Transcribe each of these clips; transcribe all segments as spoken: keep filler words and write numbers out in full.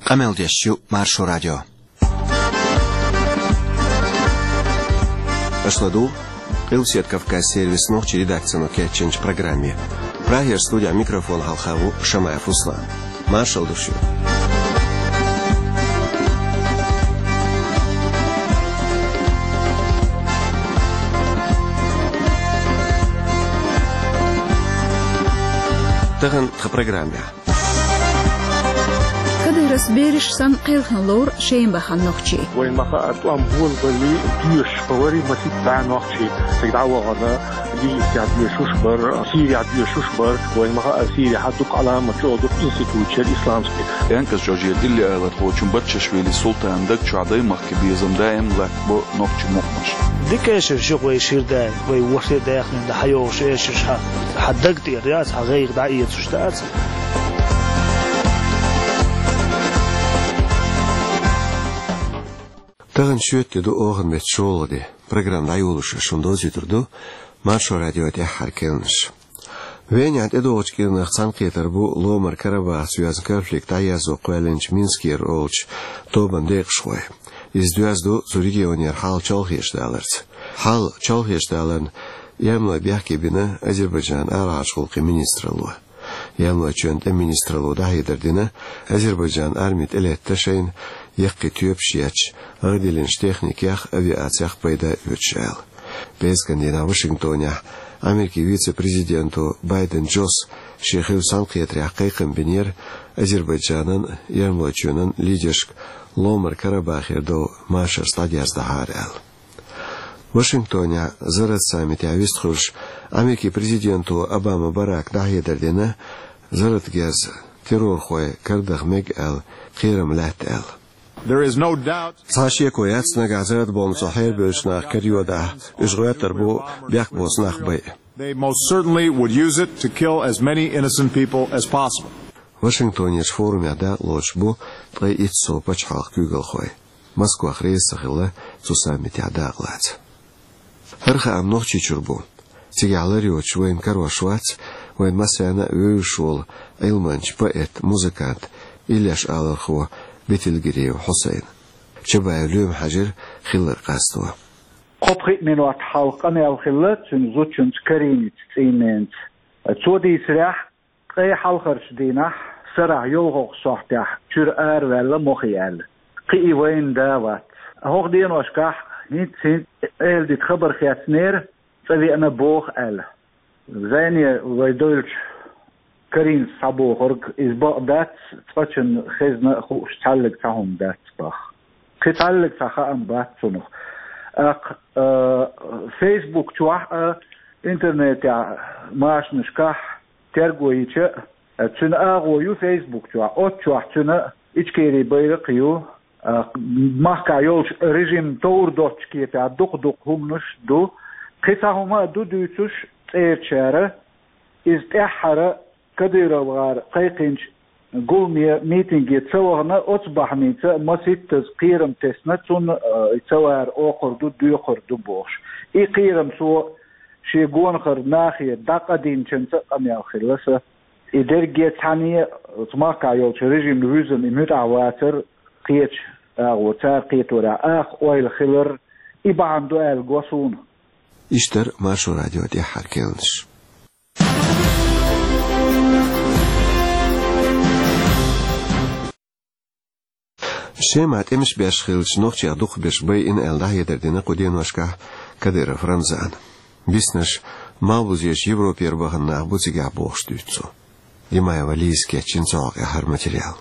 Къамел деш ю Маршо радио. Аша ладугӀу Къилбаседа Кавказан сервисан нохчийн редакцино кечйинчу программе. Прагера студехь микрофон хьалха ву Шамаев Руслан. Маршалла ду шуьга. Тахана тхан программехь. Кадыровс бераш санна кхелхина лору Шема бахана нохчий. Вайн ма хаьара, тӀом болабале доьшуш бара масийтта нохчий. Цига дӀавахана, Египтехь доьшуш бара, Сирехь доьшуш бара. Вайн ма хаьара, Сирехь дукха Ӏаламат чӀогӀа дукха институташ яра исламский. ТӀаьнкъазчу Алжира иллиалархочун Бартшишвили Султанан даг чохь даймахкан безам даим латтабо нохчийн мукъамаш. Дика эшарш ю вай шира дай, вай ворхӀе даьхнина дан хьайогӀуш эшарш хьан, хьан даг тӀера яц, хьан гӀайгӀа дӀаэцуш дац. Тахана шоьтан де ду, оханан меттан шолгӀа де. Программа дӀайолош шуна довзуьйтур ду Маршо радион тӀаьххьара керланаш. Венехь тӀедогӀучу кӀирнах цхьаьнакхетар бу Ломара Карабахаца йоьзна конфликт дӀаерзо кхоьллинчу Минскера олучу тобанан декъашхой. Иза доьзна ду цу регионера хьал чолхечу даларца. Хьал чолхечу даларна эрмалой бехке бина Азербайджанан арахьарчу гӀуллакхийн министралло. Эрмалойчоьнан тӀеман министралло дӀахьедар дина, Азербайджанан арми тӀелетта шайна яккхий тоьпаш етташ, гӀадиллинчу техникех, авиацех пайда оьцуш аьлла. ПӀераскан дийнахь Вашингтонехь Америкин вице-президенто Байден Джос шен хиллачу цхьаьнакхетарехь кхайкхам бинера Азербайджанан а, Эрмалойчоьнан а лидершка Ломара Карабахера дов машарца дӀадерзадахьара аьлла. Вашингтонехь зарратан саммитехь вистхуьлуш Америкин президенто Обама Барака дӀахьедар дина, зарратан герз террорхой карадахар мега аьлла кхерам лаьтта аьлла. There is no doubt. Цхьа а шеко яц, нагахь зарратан бомбаца хьерабевллачу наха карайодахь, уьш гӀоьттур бу бехк боцу нах байа. They most certainly would use it to kill as many innocent people as possible. Вашингтонерчу форумехь дакъалоцуш бу ткъе итт сов пачхьалкхан куьйгалхой. Москвах реза ца хилла цу саммитехь дакъалаца. ХӀара хаам Нохчийчуьра бу. Цигахь лар йоцуш вайна карош вац вайн массарна а вевзаш волу Ӏилманча, поэт, музыкант, Иллеш алархо Бетилгириев Хьусайн. Чабаев Лоьма хьаьжира хилларг къасто. Кхо-пхиъ минот хьалха къамел хилла цуьнан зудчуьнца Кариница цӀийненца. Цо дийцарехь, ткъе хьалхарчу дийнахь, сарахь йолхалгӀачу сохьтехь чуьра араваьлла мохе аьлла. Кхин и вайна да вац. ХӀокху деношкахь хӀинцца-хӀинцца эладита хабар хецнера, цӀа веана боху аьлла. Зайне вай девлча Каринас схьабохург иза бакъ дац, цкъачунна хезна а хууш цхьаьллиг цхьа хӀума дац боху. Кхин цхьаьллиг цхьа хаам бац цунах. ТӀаккха, а, Facebook чохь а, интернетехь, машанашкахь терго йича а, цуьнан агӀо ю Facebook чохь, оцу чохь цуьнан Ичкерин байракх а ю, а, махкахь йолчу режимна товр доцчу кепехь дукха-дукха хӀуманаш ду. Кхин цхьа хӀума а ду дуьйцуш цӀерачара, иза тӀаьххьара КадыровгӀара кхайкхинчу гуламе, митинге ца вахана, оцу бахьаница масийттаза кхерам тесна, цунна, а, ца вара охур ду, доькхур ду бохуш. И кхерам цо шен гонахара нахе дӀакъадинчуьнца къамел хилла сан. И дерриге цхьаьна оцу махкахь йолчу режимна вуьзна и муьтӀахь вацар, кхечу агӀор, цара кхеторехь аха ойла хилар, и бахьана ду аьлла го суна. Иштта яра Маршо радион тӀаьххьара керланаш. Шемахь тӀемаш беш хиллачу нохчех дукхахберш байина аьлла дӀахьедар дина кху деношкахь Кадыров Рамзана. Биснарш малхбузерчу Европера бахана нах бу цигахь бохуш дуьйцу цо. Димаева Лиза кечйина цу хьокъехь хӀара материал.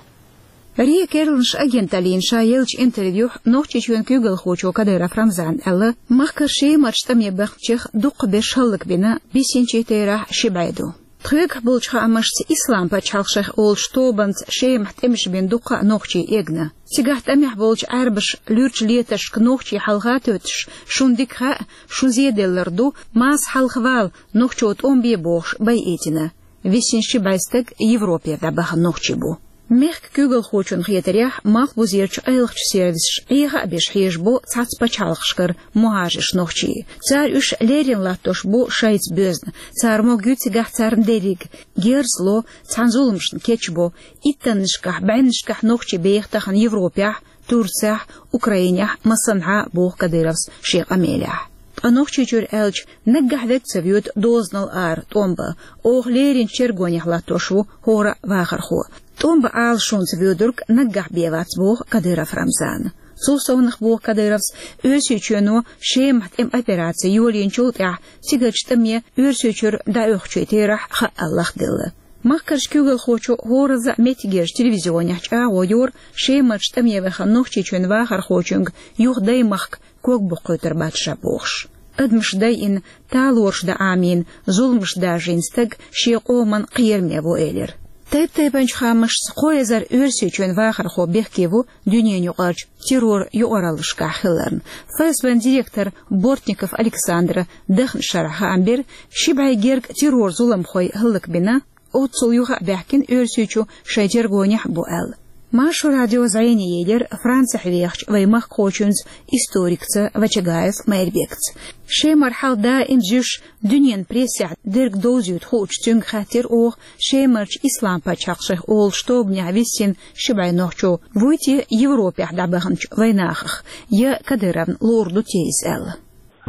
РИА керланаш агенталлина ша еллачу интервьюхь Нохчийчоьнан куьйгалхочо Кадыров Рамзана аьлла, махкара Шемарчу тӀаме баханчех дукхахберш хӀаллакбина биссинчийн терахь ши бӀе ду. Тхоьгахь болчу хаамашца, Ислам пачхьалкх шайх олучу тобанца Шемахь тӀемаш бина дуккха а нохчий эгна. Цигахь тӀамехь болчу Ӏаьрбаша луьрачу летаршка нохчий хьалха а тоьттуш, шуна дика хаьа, шун зеделлар ду, Марса хьалха вала, нохчо тӀом бе бохуш, байъийтина. Виссина ши бӀе стаг Европера дӀабахана нохчий бу. Мехка куьйгалхочунна хетарехь, малхбузерчу къайлахчу сервисаша Ӏеха а беш хьежабо цхьацца пачхьалкхашкара мухӀажарш нохчий. Цара уьш леррина латтош бу шайца боьзна. Цара могуьйту цигахь царна дерриг. Герз ло, цхьана зуламашна кечбо. Иттаннашкахь, бӀеннашкахь нохчий беха тахана Европехь, Турцехь, Украинехь, массанхьа, боху Кадыровс шен къамелехь. Ткъа Нохчийчуьра аьлча, наггахь вега ца воьду дозанал ара тӀом бан. Оха лерринчу чергонехь латтош ву хӀора а вахархо. ТӀом бан Ӏалашонца воьдург наггахь бен вац, боху Кадыров Рамзана. Цул совнаха, боху Кадыровс, Оьрсийчоьно Шемахь тӀеман операци йолийначул тӀаьхьа цигарчу тӀаме Оьрсийчуьра дӀаоьхучийн терахь хаъал лахделла. Махкарчу куьйгалхочо хӀоразза а меттигерчу телевизионехь чӀагӀо йора Шемарчу тӀаме вахана Нохчийчоьнан вахархочуьнга юха даймахка ког буккхуьйтур бац ша бохуш. Адамаш дайина, талораш дан Ӏамийна, зуламаш даржийна стаг шен къоман кхераме ву элира. Тайп-тайпанчу хаамашца, кхо эзар Оьрсийчоьнан вахархо бехке ву дуьненаюкъарчу террор юкъараллашкахь хиларна. ФСБ-н директора Бортников Александра даханчу шарахь хаам бира, ши бӀе герга террор-зуламхой хӀаллакбина, оццул юха а баьхкина Оьрсийчу шайн тергонехь а бу аьлла. Маршо радио зӀене елира Францехь вехачу вайн махкахочуьнца, историкца Вачагаев Майрбекца. Шемара хьал даим зуьйш дуьненан прессехь дерг довзуьйту хуучу цуьнга хаьттира оха, Шемарчу Ислам-пачхьалкх шайх олучу тобанехь виссина ши бӀе нохчо вуй те Европехь дӀабаханчу вайн нахах, я Кадыровна луур ду те иза аьлла.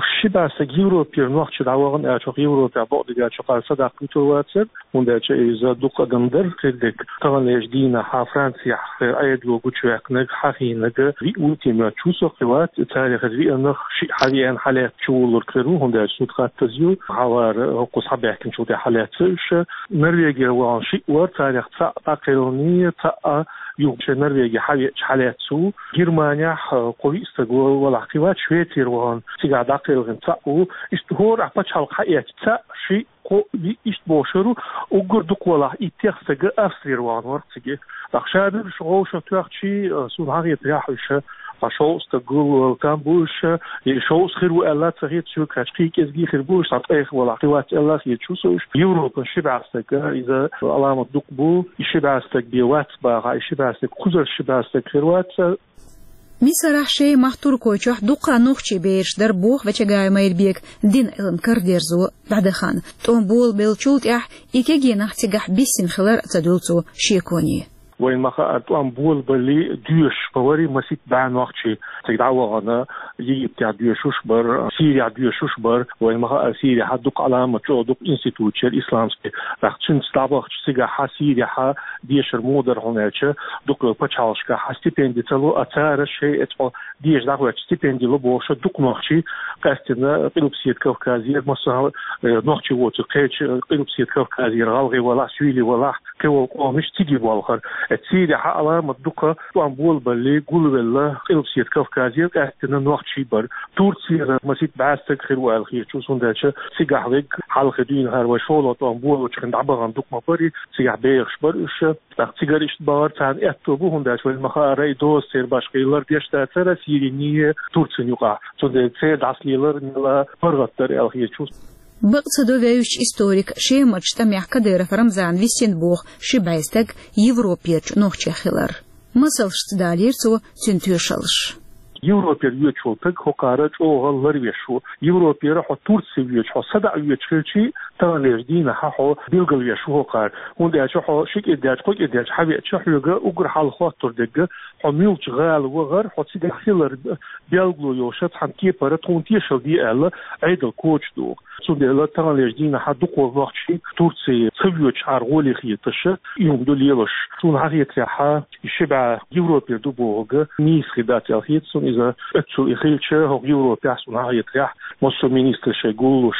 Ши бӀе стаг Европера нохчий дӀавахана аьлча, хӀокху Европехь бакъдерг аьлча, хӀокхара садаккха вуьтур вацара, хӀунда аьлча иза дукха адам дара хир дерг. Таханлерчу дийнахь Францехь Ӏедало гучуваьккхинарг, хьахийнарг виъ ву те моьтту, цо кхин вац, царах хӀара виънах шиъ хьавеана, хьалаьцна чувуллург хир ву, хӀунда аьлча зуда хаттаза ю, хьавар хӀокхуза хьабаьхкинчул тӀаьхьа хьалаьцна уьш. Норвегера вахана шиъ вара, царах цхьаъ дӀакхелхина, цхьаъ юха шен Норвеге хьавеача хьалаьцна ву. Германехь кхо-виъ стаг валахь кхин вац, Швецера вахана цигахь дӀакхелхина цхьаъ ву. Иштта хӀора а пачхьалкх хьаэцча цхьаъ, шиъ, кхоъ, виъ, иштта бохуш хир ву. Уггар дукха валахь иттех стаг Австрера вахана вара цига. ТӀаккха шадерш вовшах тоьхчий, суна хьахетарехь, уьш ткъа шовзткъа стаг гулвала там бу уьш, я шовзткъа хир ву аьлла ца хета соьга, кхача кхин кӀезиг хир бу уьш, цхьа ткъех валахь кхин вац аьлла хета шу со уьш. Европан ши бӀе стаг, иза Ӏаламат дукха бу, и ши бӀе стаг бен вац бахахь, и ши бӀе стаг, кхузара ши бӀе стаг хир вац. Мисарахь, Шемахь, Туркойчохь дуккха нохчий бераш дара, боху Вачагаев Майрбека, дин-Ӏилма карадерзо дӀадахана. ТӀом болабеллачул тӀаьхьа и кегий нах цигахь биссина хилар а ца дуьллу цо шеконе. Вайна ма-хаъара, тӀом болабаллалц доьшуш ма вара масийтта бӀе нохчий цига дӀавахана, Египтехь доьшуш бара, Сирехь доьшуш бара. Вайна ма-хаъара, Сирехь дукха Ӏаламат чӀогӀа дукха институташ яра исламский. ТӀаккха цуьнца дӀабахча цигахь Сирехь дешар муха дара, хӀунда аьлча дукха пачхьалкхашкахь стипенди ца ло, а цара шайн эцхьо деша дӀахӀоьттича стипенди ло бохуш дукха нохчий къаьстина Къилбаседа Кавказера, массо а, э, нохчий воцург кхечу Къилбаседа Кавказера, гӀалгӀай валахь, суьйлий валахь, кхин волу къомаш цига болхура. Э, Сирехь Ӏаламат дукха тӀом болабаллалц гулвелла Къилбаседа Кавказера къаьстина нохчий бара. Турцера масийтта бӀе стаг хир ву аьлла хеташ ву, хӀунда аьлча цигахь верг хьалха дуьйна хӀара вай шолгӀа тӀом болалучу хенахь дӀабахана дукха ма бара, цигахь бехаш бара уьш. ТӀаккха цигара иштта бахара царна аьтто бу, хӀунда аьлча вайна ма-хаъара, и доза церан башха хилар деш дацара Сирин а, Турцин а юкъахь. Цундела церан дӀасалелар мелла паргӀат дара аьлла хеташ ву. Бакъ ца до вевзачу историка Шемарчу тӀамехь Кадыров Рамзана виссина боху ши бӀе стаг Европерчу нохчех хилар. Масалшца далийра цо цуьнан тоьшаллаш. Европера воьдуш волу стаг хӀокхара чӀогӀа ларвеш ву. Европера хьо Турце воьдуш, хьо садаӀа воьдуш хилчий, таханлерчу дийнахь хьо билгалвеш ву хӀокхара. ХӀунда аьлча хьо ши кӀира даьлча, кхо кӀира даьлча хьавеача, хьоьга уггар хьалха хоттур дерг, хьо муьлхачу гӀала вахара, хьо цигахь хилар белгало йолуш цхьана кепара тхуна тешалла де аьлла, Ӏедал коча догӀу. Цундела таханлерчу дийнахь дукха нохчий Турце ца воьдуш Ӏар гӀоле хеташ, и хӀума ду лелош. Суна хьахетарехь, и ши бӀе Европера ду бохург нийса хир дац аьлла хета суна иза. Оццул и хилча, хӀокху Европехь, суна хьахетарехь, массо а министраш шайн гуллуш,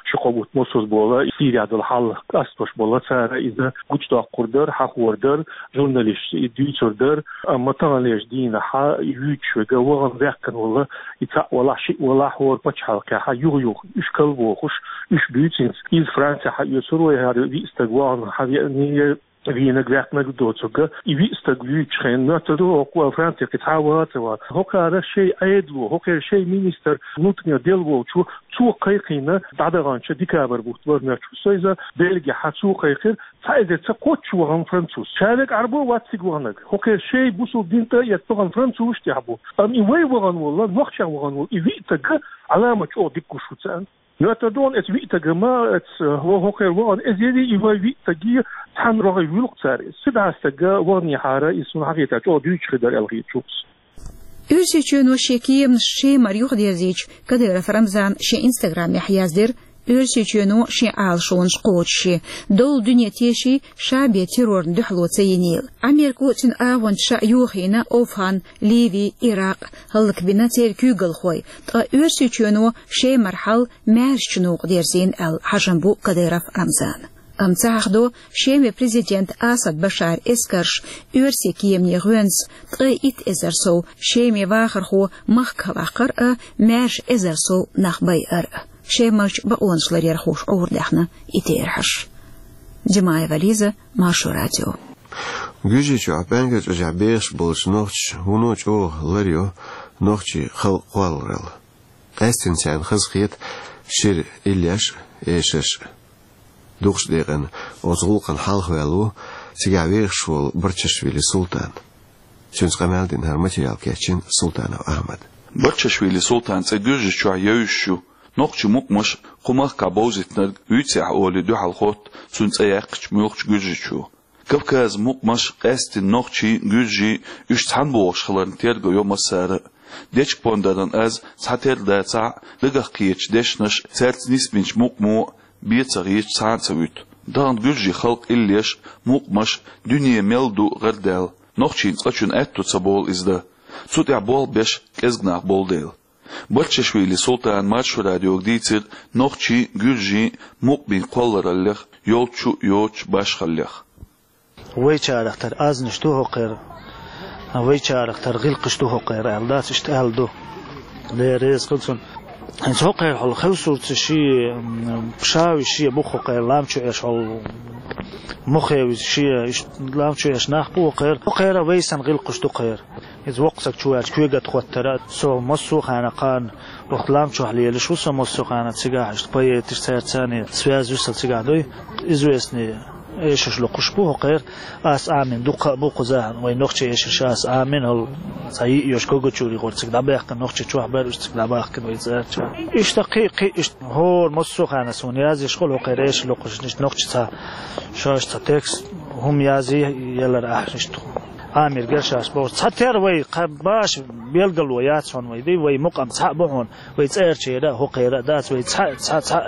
ши-кхо бутт массо а болу, Сирехь долу хьал къастош болу цара иза гучудоккхур дара, хьахор дара, журналисташца и дуьйцур дара. Амма таханлерчу дийнахь и вуьйцуш верг вахана ваьккхина волу, и цхьаъ валахь, шиъ валахь, хӀора пачхьалкхехь юха-юха уьш калбохуш, уьш буьйцинца. Иза Францехь хьаоьцур вай, хӀара виъ стаг вахана хьавеана, вийнарг, ваьккхинарг доцург, и виъ стаг вуьйцучу хенахь, моьттур ду хӀокхо Францехь кхин цхьа а вацара. ХӀокхара шайн Ӏедало, хӀокхара шайн министр внутренних дел волчо, цо кхайкхийна дӀадаханчу декабрь бутт вара моьттуш ву со иза, Бельгехь цо кхайкхира, цхьа эзар ца кхоччуш вахана француз. Ша верг Ӏарбо вац цига ваханарг. ХӀокхара шайн бусулба дин тӀе а эцна вахана французаш тӀехь бу. Амма и вай вахана волу, нохчех вахана волу и виъ стаг Ӏаламат чӀогӀа дика гуш ву царна. Моьттур ду хьуна, эцу виъ стага ма, эцу хӀо-, хӀокхара вахана эзаре и вай виъ стаге цхьаьна рогӀе вуьллу-кх цара иза. Цхьа а стаг ваханехьара, иза суна хьахетарехь чӀогӀа дуьйцуш хир дара аьлла хеташ ву-кх со. Оьрсийчоьно шен кеманаш Шемара юхадерзийча, Кадыров Рамзана шен Instagram-ехь яздира, Оьрсийчоьно шен Ӏалашонаш кхочушъе, долу дуьне теший, ша бен террорна дуьхьало ца йинийла. Ӏамерко а, цуьнан агӀончаша а йохийна Овхан, Ливи, Иракъ, хӀаллакбина церан куьйгалхой, ткъа Оьрсийчоьно Шемара хьал маьршачу новкъа дерзийна аьлла хьажам бу Кадыров Рамзана. Амма ца хьахдо, Шеман президент Асад Башаран эскарша оьрсийн кеманийн гӀоьнца ткъе итт эзар сов Шеман вахархо махкахь ваккхар а, маьрша эзар сов нах байар а. Шемарчу бакъонаш ларъярхоша Ӏуьйре даьхна и терахьаш. Димаева Лиза, Маршо радио. Гуьржийчохь Пангер чӀожехь бехаш болчу нохчаша вуно чӀогӀа ларйо нохчийн халкъан кхолларалла. Къаьсттина царна хазахета шира иллеш а, эшарш а. Дукхачу декъана оцу гӀуллакхна хьалхаваьлла ву цигахь вехаш волу Барчашвили Султан. Цуьнца къамел дина хӀара материал кечйина Султанов Ахьмада. Барчашвили Султанан цӀе Гуьржийчохь евзаш ю. Нохчийн мукъамаш кху махкахь бовзийтинарг вуьйцу ахь олий дуьхьал хотту цуьнан цӀе яьккхича муьлххачу гуьржичо. Кавказан мукъамаш, къаьсттина нохчий, гуьржий, уьш цхьаьна богӀуш хиларна терго йо массара а. Дечиган пондаран аз цхьатерра дацахь а, дагах кхетачу дешнаша, цаьрца нисбинчу мукъамо бен ца хеташ цхьа а ца вуьту. Тахана гуьржийн халкъан иллеш, мукъамаш, дуьне мел ду гӀардаьлла, нохчийн цкъачунна аьтто ца болу иза дан. Цу тӀехь болх беш кӀезиг нах болу дела. Барчашвили Султана Маршо радиога дийцира нохчийн, гуьржийн, мукъамийн кхоллараллех йолчу а йоцучу башхаллех. Вайчарах тера азнаш ду хӀокхеран, вайчарах тера гӀиллакхаш ду хӀокхеран аьлла дац, иштта аьлла ду. Дела реза хуьлда цунна. ХӀинца хӀокхеран хьалха хевсурца шен, м, пшави шен бу хӀокхеран лам чу Ӏеш хьал, мохевиз шен, иштта лам чу Ӏеш нах бу хӀокхеран. ХӀокхеран вай санна гӀиллакхаш ду кхеран. Иза воккха стаг чу ваьлча куьйга тӀе хӀоттара, со массо а хенахь кхана вахт лам чохь лелаш ву, со массо а хенахь цигахь иштта поэташ, цаьрца цхьаьна связь ю сан цигахь дуй. Известный эшарш локхуш бу хӀокхеран, ас Ӏамийна дуккха а бу кхузахь, вай нохчийн эшарш ас Ӏамийна, хӀал цхьа йиъ йолуш Когачури гӀора цига дӀабаьхкина, нохчий чохь бара уьш цига дӀабахкина вай цӀарча. Иштта кхин а, кхин а иштта хӀора массо а хенахь суна язъеш хуьлу хӀокхеран эшар локхуш, иштта нохчаша цхьа шаьш цхьа текст, хӀума язъе, ялар ахь иштта Ӏамийра гершаш бохуш. Цхьатерра вай кхаьббаш белгало яц хьуна вай, ди, вай мукъам цхьаъ бу хьуна, вай цӀарчера а, хӀокхера а дац, вай цхьа, цхьа, цхьа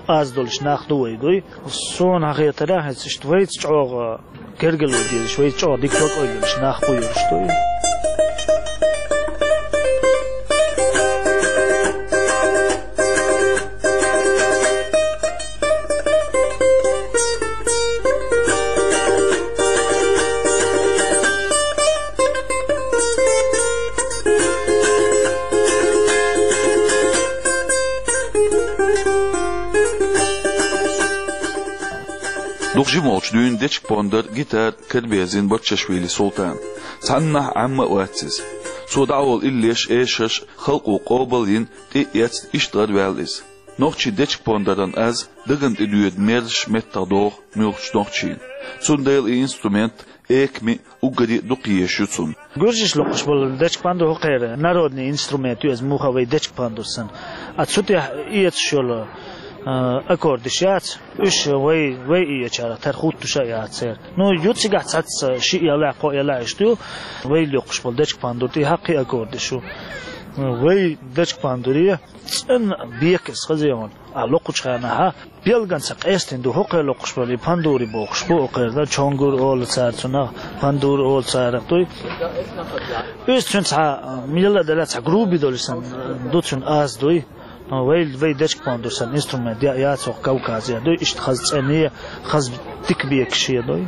аз долуш нах ду вай, дуй. Суна хьан хетарехь, хӀинца иштта вайца чӀогӀа гергарло дезаш, вайца чӀогӀа дика бакъой йолуш нах бу йолуш, дуй. Дукха жима волчу дуьйна дечиган пондар, гитара караберзийна Барчашвили Султана. Цхьаннахьа Ӏемма а вац иза. Цо дӀаволу иллеш, эшарш халкъо къобал а йина, тӀе а эцна, иштта гӀараваьлла иза. Нохчийн дечиган пондаран аз дагна тӀедоьду мерзаш меттах догӀу муьлххачу нохчийн. Цундела и инструмент эками, уггаре а дукха езаш ю цунна. Гуьржаша локхуш болу дечиган пондар хӀокхеран народный инструмент ю иза, муха вай дечиган пондар санна. А цу тӀехь эцаш йолу, а, аккордаш яц, уьш вай, вай иэчарах тера хӀуттуш а яц церан. Ну, ю цигахь цхьацца шиъ ялахь, кхоъ ялахь иштта ю, вай локхуш болу дечиган пондар тӀехь кхин аккордаш ю. Вай дечиган пондаре цӀена бекас хаза ян. А локхучу хенахь, а, билгалца къестина ду хӀокхеран локхуш болу и пандури бохуш бу хӀокхеран, чонгур олу цара цунах, пандур олу царах дуй. Иза цуьнан цхьа, милла а делла цхьа груби долуш санна ду цуьнан аз дуй. Вай, вай дечиган пондар санна инструмент я, яц хӀокху Кавказехь дуй, иштта хаза цӀена, хаза дика бекаш дуй.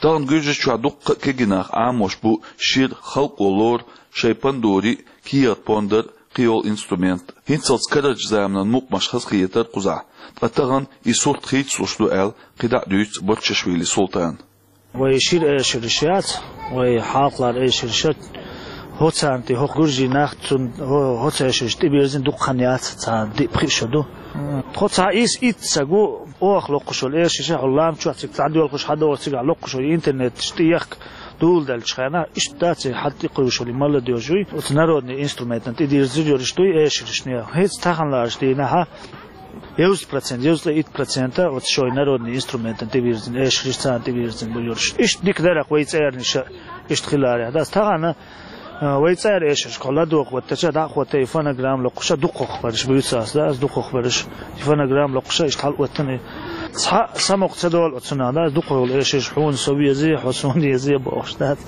Тахана Гуьржийчохь дуккха а кегий нах Ӏамош бу шира, халкъо лору шайн пандури, кехат пондар, кхийолу инструмент. ХӀинццалц карарчу заманан мукъамаш хазахетара кхузахь, ткъа тахана и сурт хийцалуш ду аьлла, кхидӀа а дуьйцу Барчашвили Султана. Вай шира эшараш яц, вай хьалхалара эшараш, хӀоццанти хӀокху гуьржийн нах цунна хӀо-, хӀоццу эшараш тӀебирзина дукха хан яц, цхьа диъ-пхиъ шо ду. Тхо цхьа ис итт саг ву, оха локхуш волу эшараш, хьо лам чохь цига цхьа доьлхуш хьадогӀу цигахь локхуш волу интернеташ тӀеяхка дуьйладеллачу хенахь, иштта дац и хьан тӀекхуьйсуш волу и молодёжь юй, оцу народный инструментан тӀедирзина йолуш дуй эшараш нехан. ХӀинца таханлерчу дийнахь девяносто процент, девяносто итт процент оцу шайн народный инструментан тӀевирзина, эшараш царна тӀевирзина бу йолуш. Иштта дика дара-кх вай цӀернаш иштта хиларехь. Дац тахана, а, вай цӀера эшараш кхо ладогӀа хӀоттача, дӀа а хӀоттий, фонограмма локхуша дукхахберш буьйцу ас, дац дукхахберш. И фонограмма локхуша иштта хьалаоттана. Цхьа самукъа ца долу оцунах, дац дукхахйолу эшараш хьуна со везий, хьо суна езий бохуш, дац.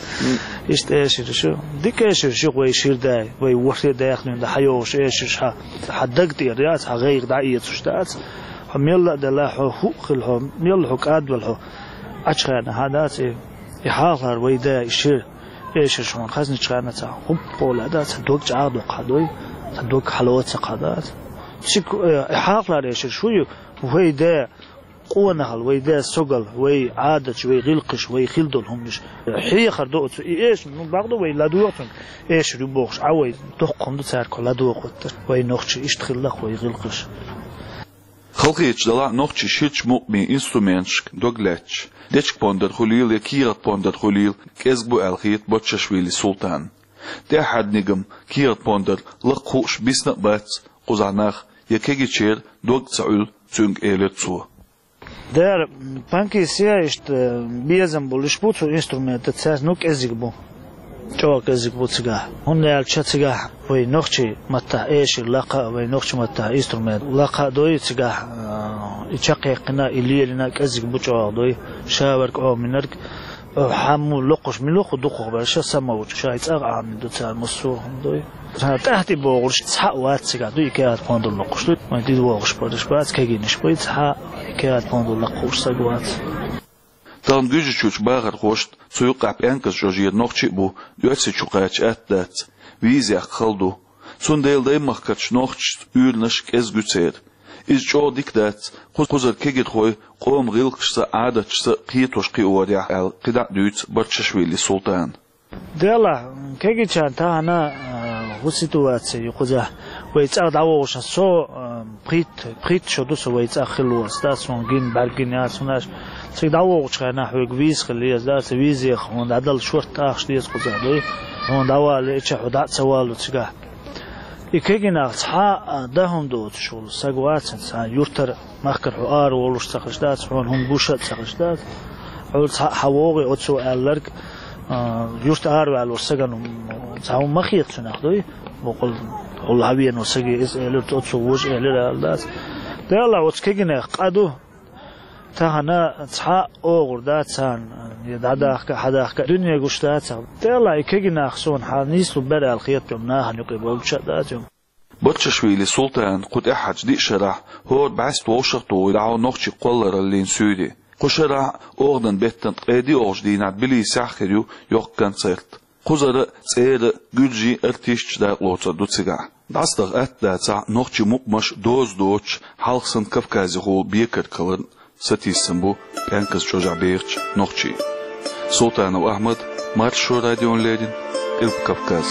Иштта эшараш ю. Дика эшараш ю вай шира дай, вай ворхӀе даьхнина дан хьайогӀуш эшараш хьан, хьан даг тӀера яц, хьан гӀайгӀа дӀаэцуш дац. Хьо мелла а делла, хьо хӀуъа хила, хьо мелла хьо кӀадвелла, хьо Ӏачхарна хьан дац и, и хьалхалара вай да, и шира эшараш хьуна хазначхарна ца хӀуп-къола дац, ца дог чӀагӀдоккху хьан дуй, ца дог хьало ца кха дац. Цига, э, и хьалхалара эшараш шу ю, вай да, къонахалла, вай да, согал, вай Ӏадаташ, вай гӀиллакхаш, вай хила долу хӀуманаш. Хьехар до оцу и эш, ну, бакъду вай ладогӀа цунга, эшар ю бохуш, Ӏа вай доккха хӀума ду цаьрга ладогӀа хӀоттар. Вай нохчий иштта хилла-кх вай гӀиллакхаш. Халахеташ делахь а нохчий ширачу мукъамийн инструменташка дог лаьтташ, дечка пондар хуьлийла я кехат пондар хуьлийла, кӀезиг бу аьлла хета Баччашвили Султанна. ТӀаьххьара нигам кехат пондар лакха хууш бисна а бац кхузахь нах, я кегийчеран дог а ца Ӏуьллу цуьнга, элира цо. Дера, панкис я иштта безам болуш бу цу инструментан, цаьрца, ну, кӀезиг бу. ЧӀогӀа кӀезиг бу цигахь. ХӀунда аьлча цигахь вай нохчий маттахь эшар лакха а, вай нохчий маттахь инструмент лакха а дуй цигахь, а, и чекхъяьккхина, и лелийна кӀезиг бу чӀогӀа дуй. Шаверг, Ӏоминарг, а, хьамму локхуш, мила хӀу дукхахберш самавучу, шайн цӀа а Ӏамийна ду цара массо а хӀума дуй. Цара тӀаьхьа тӀе богӀурш цхьа а вац цигахь дуй, и кехат пондар локхуш дуй. Вайн тӀе вогӀуш бараш бац, кегийнаш бай, цхьа а и кехат пондар лакхуш саг вац. Тахана Гуьржийчуьрчу бахархошна, цу юкъахь ПӀенказ чӀожера нохчий а бу, оьрсийчу кхача атта дац, виза яккха хала ду. Цундела даймахкарчу нохчашца уьйранаш кӀезиг ю церан. Иза чӀогӀа дика дац, кху-, кхузара кегирхой къоман гӀиллакхашца а, Ӏадаташца а кхетош кхиорехь аьлла, кхидӀа а дуьйцу Баччашвили Султана. Делахь, кегийчарна тахана, а, хӀун ситуаци ю кхузахь? Вай цӀа дӀавогӀуш, со, а, пхийтта, пхийтта шо ду со вай цӀа хилла волуш, дац, хьуна гина, бӀаьрг гина яц хьуна аьлла. Цига дӀавогӀучу хенахь хьоьга виза хила еза, дац, виза хьуна дӀадала шорта тӀаккха деза кхузахь дуй. Хьуна дӀавала, и чохь хьо дӀа а ца валло цигахь. И кегий нах цхьа а дан хӀума доцуш волу саг вацара, цхьа юьртара, махкара хьо ара волуш ца хезаш дац, хьуна хӀума гуш а ца хезаш дац. Хьо цхьа а хьан вогӀий оцо аьлларг, а, юьрта араваьллачу сагана цхьа хӀума ма хета цунах дуй? Боккъал хьо лахьавеано саге иза элира, оцо вожа элира аьлла дац. Делахь, оцу кегийнех къа ду. Тахана цхьа а огӀур дац царна, я дӀадахка, хьадахка, дуьне гуш дац царна. Делахь, и кегий нах суна хьан нийслур бара аьлла хета, нахана юкъе болча а дац. Баччашвили Султана кху тӀаьххьарчу диъ шарахь хӀора бӀаьста вовшах а тухуш дӀахьо нохчийн кхоллараллин суьйре. Кху шарахь а, оханан беттан ткъе диъолгӀачу дийнахь Тбилисехь хир ю йоккха концерт. Кхузара а, цӀера а гуьржийн артисташ дакъалоцур ду цигахь. ДӀасадаха атта дацахь а, нохчийн мукъамаш доза доцуш, хьалха санна Кавказехула бекарг хиларна сатийсам бу ПӀенказ чӀожахь бехачу нохчийн. Султанов Ахьмад, Маршо радиона леррина, Къилба Кавказ.